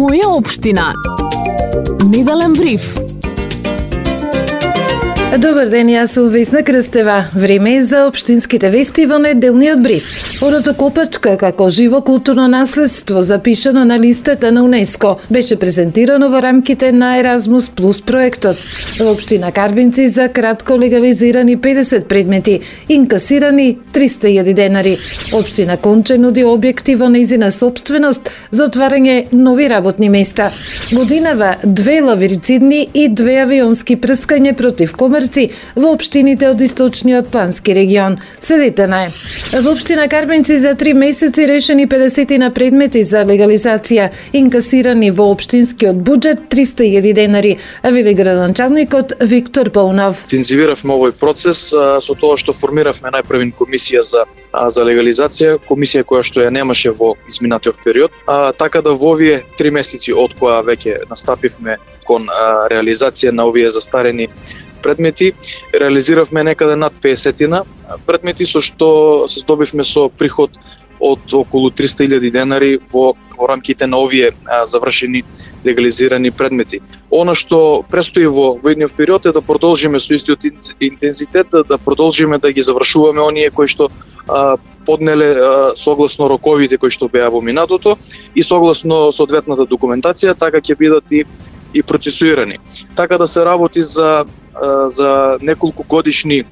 Моја општина. Неделен бриф. Добар ден, јас сум Весна Крстева. Време е за општинските вести во неделниот бриф. Оротокопачка како живо културно наследство, запишано на листата на УНЕСКО, беше презентирано во рамките на Еразмус Плюс проектот. Во општина Карбинци за кратко легализирани 50 предмети, инкасирани 300.000 денари. Општина Конче нуди објекти во нејзина сопственост за отварање нови работни места. Годинава 2 лавирицидни и 2 авионски прскања против комарци во општините од источниот плански регион. Следете на во општина Карбинци за 3 месеци решени 50 на предмети за легализација, инкасирани во општинскиот буџет 300.000 денари, а вели градоначалникот Виктор Паунов. Интензивиравме овој процес со тоа што формиравме најпрвен комисија за легализација, комисија која што ја немаше во изминатиот период, така да во овие 3 месеци од која веќе настапивме кон реализација на овие застарени предмети, реализиравме некаде над 50 предмети, со што се здобивме со приход од околу 300.000 денари во рамките на овие завршени легализирани предмети. Она што престои во идниот период е да продолжиме со истиот интензитет, да продолжиме да ги завршуваме оние кои што поднеле согласно роковите кои што беа во минатото и согласно соодветната документација, така ќе бидат и процесуирани. Така да се работи за неколку годишни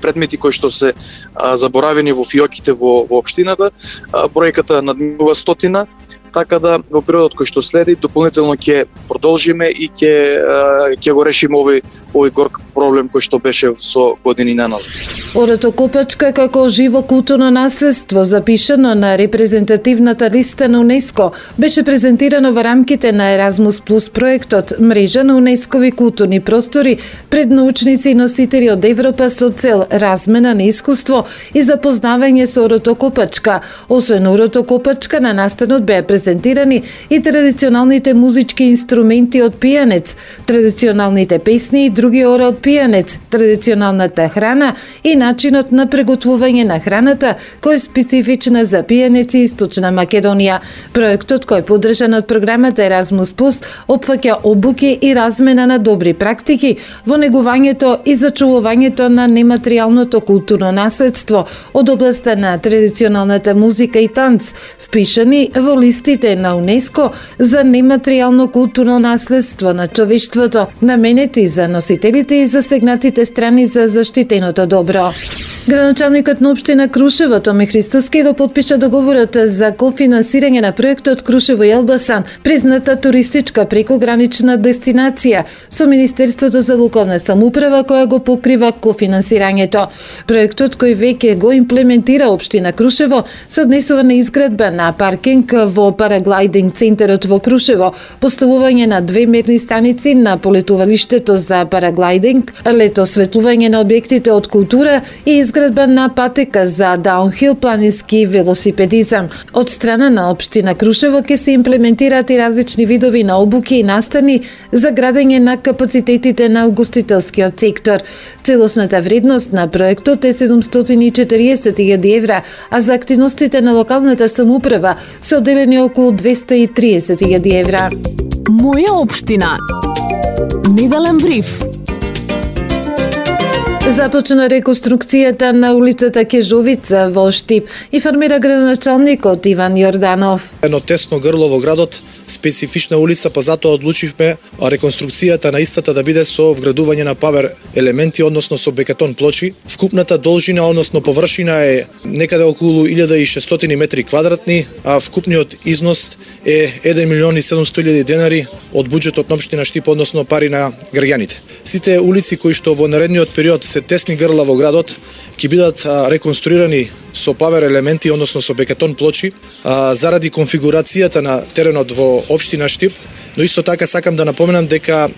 предмети кои што се заборавени во фиоките во општината, бројката надминува 100, така да во периодот кој што следи дополнително ќе продолжиме и ќе го решиме овој горк проблем кој што беше со години наназад. Оротокопачка како живо културно наследство, запишано на репрезентативната листа на УНЕСКО, беше презентирано во рамките на Еразмус Плюс проектот, мрежа на УНЕСКОви културни простори пред научници и носители од Европа со цел размена на искуство и запознавање со оротокопачка. Освен оротокопачка, на настанот беа презентирани и традиционалните музички инструменти од пијанец, традиционалните песни и други ора од пијанец, традиционалната храна и начинот на приготвување на храната, кој е специфична за пијанеци Источна Македонија. Проектот, кој е поддржан од програмата Еразмус Плюс, опфаќа обуки и размена на добри практики во негувањето и зачувувањето на нематеријалното културно наследство од областта на традиционалната музика и танц, впишани во листите на УНЕСКО за нематеријално културно наследство на човештвото, наменети за носителите и засегнатите страни за заштитеното добро. Градоначалникот на општина Крушево Томи Христоски го потпиша договорот за кофинансирање на проектот Крушево и Елбасан, призната туристичка прекогранична дестинација, со Министерството за локална самоуправа која го покрива кофинансирањето. Проектот кој веќе го имплементира општина Крушево се однесува на изградба на паркинг во параглайдинг центарот во Крушево, поставување на 2 мерни станици на полетувалиштето за параглайдинг, лето осветлување на објектите од култура и изградба на патека за даунхил планински велосипедизам. Од страна на општина Крушево ќе се имплементираат и различни видови на обуки и настани за градење на капацитетите на угостителскиот сектор. Целосната вредност на проектот е 740.000 евра, а за активностите на локалната самоуправа се одделени околу 230.000 евра. Моја општина. Неделен бриф. Започна реконструкцијата на улицата Кежовица во Штип, информира градоначалникот Иван Јорданов. Едно тесно грло во градот, специфична улица, па затоа одлучивме реконструкцијата на истата да биде со вградување на павер елементи, односно со бекатон плочи. Вкупната должина, односно површина е некаде околу 1600 метри квадратни, а вкупниот износ е 1.700.000 денари од буџетот на општина Штип, односно пари на граѓаните. Сите улици кои што во наредниот период се тесни грла во градот ќе бидат реконструирани со павер елементи, односно со бекатон плочи, заради конфигурацијата на теренот во општина Штип, но исто така сакам да напоменам дека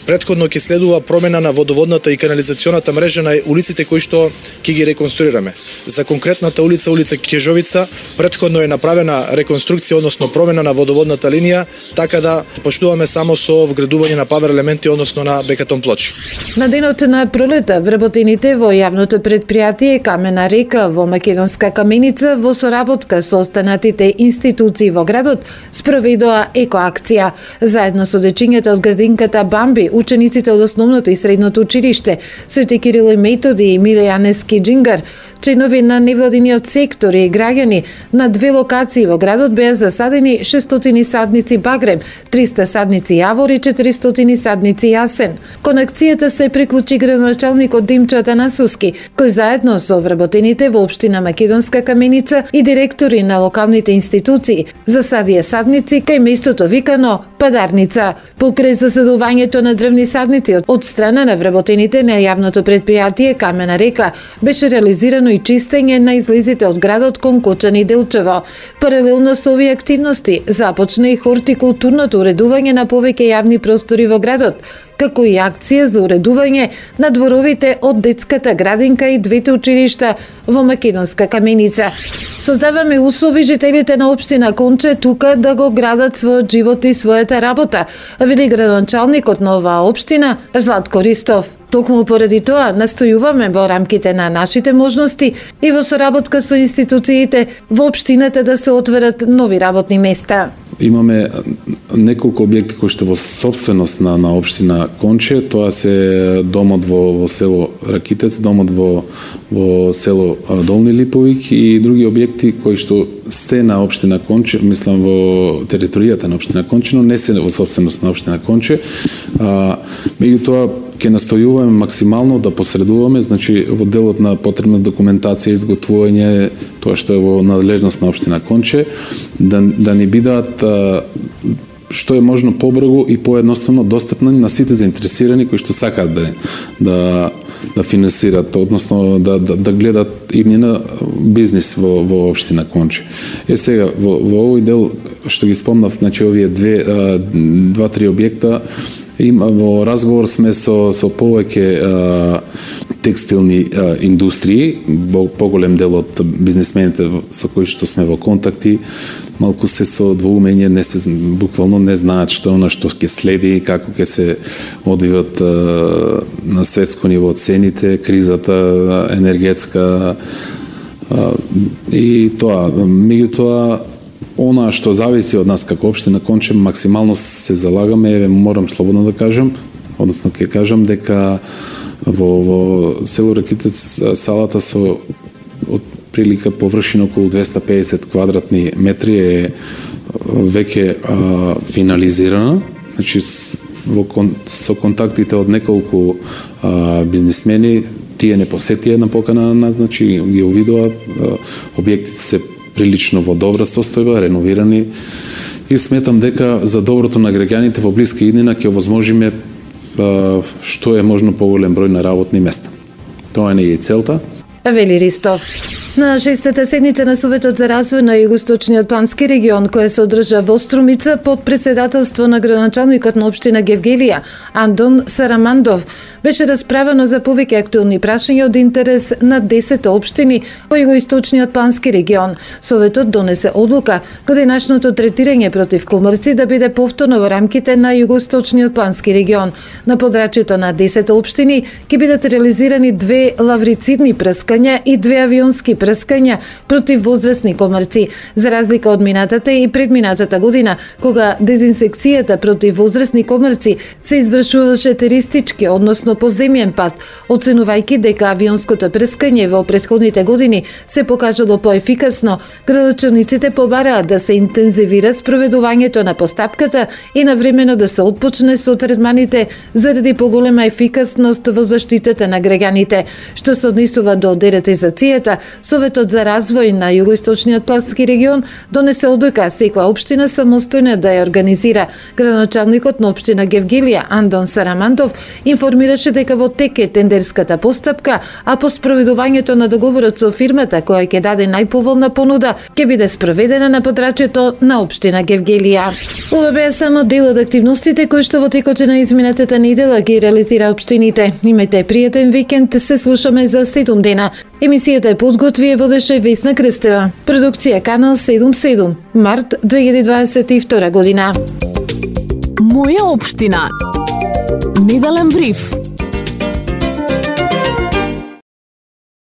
претходно ќе следува промена на водоводната и канализационата мрежа на улиците кои што ќе ги реконструираме. За конкретната улица Кежовица, претходно е направена реконструкција, односно промена на водоводната линија, така да поштуваме само со вградување на павер елементи, односно на бекатон плочи. На денот на пролета вработените во јавното претпријатие Камена река во Македонска каменица во соработка со останатите институции во градот спроведоа екоакција. Заедно со дечињата од градинката Бамби, учениците од основното и средното училиште Свети Кирил и Методи и Миле Јанески Джингар, членови на невладиниот сектор и граѓани на две локации во градот беа засадени 600 садници багрем, 300 садници јавор и 400 садници јасен. Кон акцијата се приклучи градоначалникот Димчо Атанасовски, кој заедно со вработените во општина Македонска каменица и директори на локалните институции засадија садници кај местото викано Падарница. Покрај засадувањето на дрвни садници од страна на вработените на јавното предпријатие Камена река беше реализирано и чистење на излезите од градот кон Кочани и Делчево. Паралелно со овие активности започна и хортикултурното уредување на повеќе јавни простори во градот, како и акција за уредување на дворовите од детската градинка и двете училишта во Македонска каменица. Создаваме услови жителите на општина Конче тука да го градат својот живот и својата работа, вели градоначалникот на оваа општина Златко Ристов. Токму поради тоа настојуваме во рамките на нашите можности и во соработка со институциите во општината да се отворат нови работни места. Имаме неколку објекти кои што во собственост на општина Конче, тоа се домот во село Ракитец, домот во село Долни Липовик и други објекти кои што сте на општина Конче, мислам во територијата на општина Конче, но не се во собственост на општина Конче. Меѓутоа ќе настојуваме максимално да посредуваме, значи во делот на потребна документација, изготвување, тоа што е во надлежност на општина Конче, да ни бидат што е можно побрзо и поедноставно достапни на сите заинтересирани кои што сакаат да финансират, односно да гледат и на бизнис во општина Конче. Сега во овој дел што ги спомнав, значи овие два-три објекта, во разговор сме со повеќе текстилни индустрии, поголем дел од бизнисмените со кои што сме во контакти, малку се со двоумење, буквално не знаат што е она што ќе следи, како ќе се одвиват на светско ниво цените, кризата енергетска и тоа. Меѓутоа, она што зависи од нас како општина Конче, максимално се залагаме, морам слободно да кажам, односно ќе кажам дека во село Ракитец салата со од прилика површина околу 250 квадратни метри е веќе финализирана. Значи со контактите од неколку бизнисмени, тие не посетија на покана на нас, значи ги увидоа, објектите се прилично во добра состојба, реновирани, и сметам дека за доброто на граѓаните во блиска иднина ќе овозможиме што е можно поголем број на работни места. Тоа не е и целта. Вели Ристов. На 6-та седница на Советот за развој на Југоисточниот плански регион, која се одржа во Струмица под председателство на градоначалникот на општина Гевгелија, Андон Сарамандов, беше расправено за повеќе актуелни прашања од интерес на 10 општини во Југоисточниот плански регион. Советот донесе одлука годинашното третирање против комрци да биде повторно во рамките на Југоисточниот плански регион. На подрачјето на 10 општини ќе бидат реализирани 2 лаврицидни прскања и 2 авионски прскања против возрастни комрци, за разлика од минатата и предминатата година, кога дезинсекцијата против возрастни комрци се извршуваше теристички, односно по земјен пат, оценувајќи дека авионското прскање во претходните години се покажало поефикасно. Градоначалниците побараат да се интензивира спроведувањето на постапката и навремено да се отпочне со третманите заради поголема ефикасност во заштитата на граѓаните. Што се однесува до дератизацијата, Советот за развој на Југоисточниот плански регион донесе одлука секоја општина самостојно да ја организира. Градоначалникот на општина Гевгелија, Андон Сарамандов, информираше дека во тек е тендерската постапка, а по спроведувањето на договорот со фирмата која ќе даде најповолна понуда ќе биде спроведена на подрачјето на општина Гевгелија. Ова беа само дел од активностите кои што во текот на изминатата недела ги реализира општините. Имајте пријатен викенд, се слушаме за 7 дена. Емисијата е подготви и водеше Весна Крстева. Продукција Канал 77, март 2022 година. Моја општина. Неделен бриф.